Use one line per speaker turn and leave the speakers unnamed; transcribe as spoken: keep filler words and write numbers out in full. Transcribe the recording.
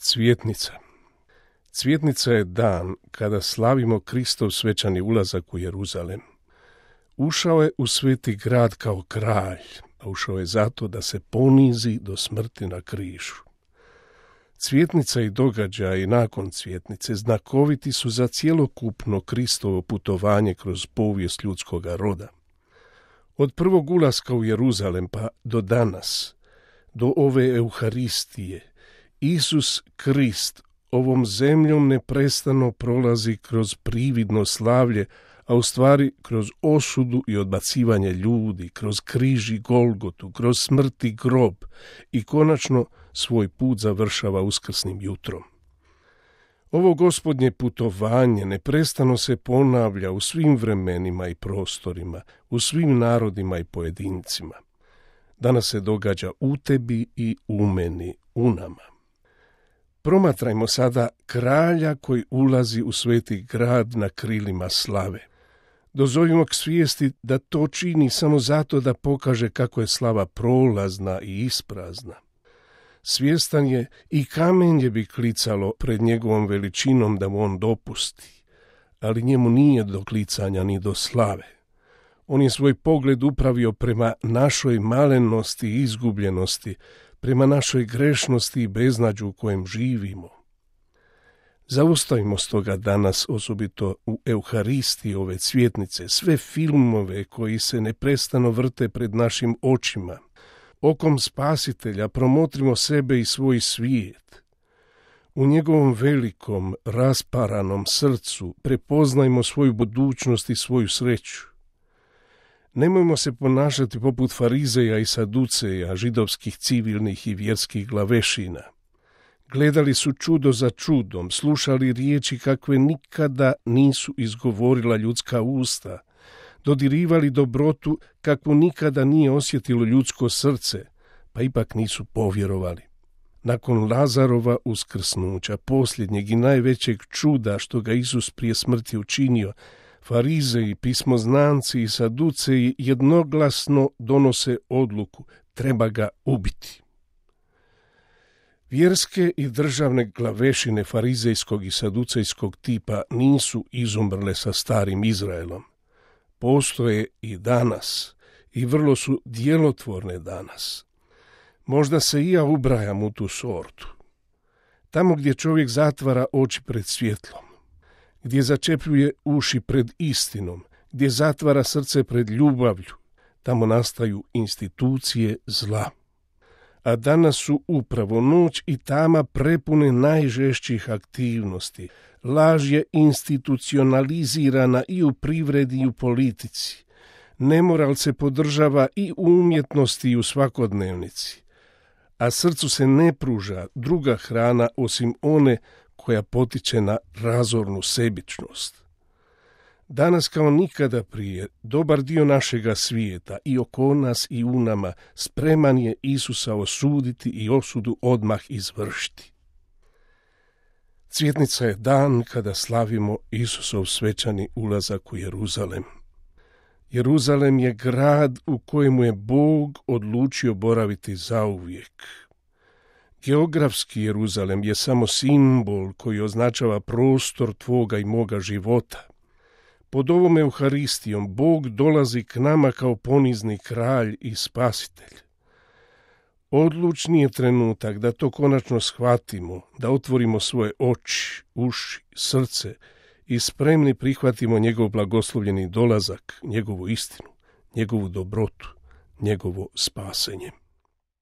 Cvjetnica. Cvjetnica je dan kada slavimo Kristov svečani ulazak u Jeruzalem. Ušao je u sveti grad kao kralj, a ušao je zato da se ponizi do smrti na križu. Cvjetnica i događaji nakon cvjetnice znakoviti su za cjelokupno Kristovo putovanje kroz povijest ljudskoga roda. Od prvog ulaska u Jeruzalem pa do danas, do ove Euharistije, Isus Krist ovom zemljom neprestano prolazi kroz prividno slavlje, a u stvari kroz osudu i odbacivanje ljudi, kroz križ i Golgotu, kroz smrt i grob i konačno svoj put završava uskrsnim jutrom. Ovo gospodnje putovanje neprestano se ponavlja u svim vremenima i prostorima, u svim narodima i pojedincima. Danas se događa u tebi i u meni, u nama. Promatrajmo sada kralja koji ulazi u sveti grad na krilima slave. Dozovimo k svijesti da to čini samo zato da pokaže kako je slava prolazna i isprazna. Svjestan je i kamenje bi klicalo pred njegovom veličinom da mu on dopusti, ali njemu nije do klicanja ni do slave. On je svoj pogled upravio prema našoj malenosti i izgubljenosti, prema našoj grešnosti i beznađu u kojem živimo. Zaustavimo stoga danas, osobito u Euharistiji ove cvjetnice, sve filmove koji se neprestano vrte pred našim očima. Okom Spasitelja promotrimo sebe i svoj svijet. U njegovom velikom, rasparanom srcu prepoznajmo svoju budućnost i svoju sreću. Nemojmo se ponašati poput farizeja i saduceja, židovskih civilnih i vjerskih glavešina. Gledali su čudo za čudom, slušali riječi kakve nikada nisu izgovorila ljudska usta, dodirivali dobrotu kakvu nikada nije osjetilo ljudsko srce, pa ipak nisu povjerovali. Nakon Lazarova uskrsnuća, posljednjeg i najvećeg čuda što ga Isus prije smrti učinio, farizeji, pismoznanci i saduceji jednoglasno donose odluku, treba ga ubiti. Vjerske i državne glavešine farizejskog i saducejskog tipa nisu izumrle sa starim Izraelom. Postoje i danas i vrlo su djelotvorne danas. Možda se i ja ubrajam u tu sortu. Tamo gdje čovjek zatvara oči pred svjetlom, gdje začepljuje uši pred istinom, gdje zatvara srce pred ljubavlju, tamo nastaju institucije zla. A danas su upravo noć i tama prepune najžešćih aktivnosti. Laž je institucionalizirana i u privredi i u politici. Nemoral se podržava i u umjetnosti i u svakodnevnici. A srcu se ne pruža druga hrana osim one koja potiče na razornu sebičnost. Danas kao nikada prije, dobar dio našega svijeta i oko nas i u nama spreman je Isusa osuditi i osudu odmah izvršiti. Cvjetnica je dan kada slavimo Isusov svečani ulazak u Jeruzalem. Jeruzalem je grad u kojemu je Bog odlučio boraviti zauvijek. Geografski Jeruzalem je samo simbol koji označava prostor tvoga i moga života. Pod ovom Euharistijom Bog dolazi k nama kao ponizni kralj i spasitelj. Odlučni je trenutak da to konačno shvatimo, da otvorimo svoje oči, uši, srce i spremni prihvatimo njegov blagoslovljeni dolazak, njegovu istinu, njegovu dobrotu, njegovo spasenje.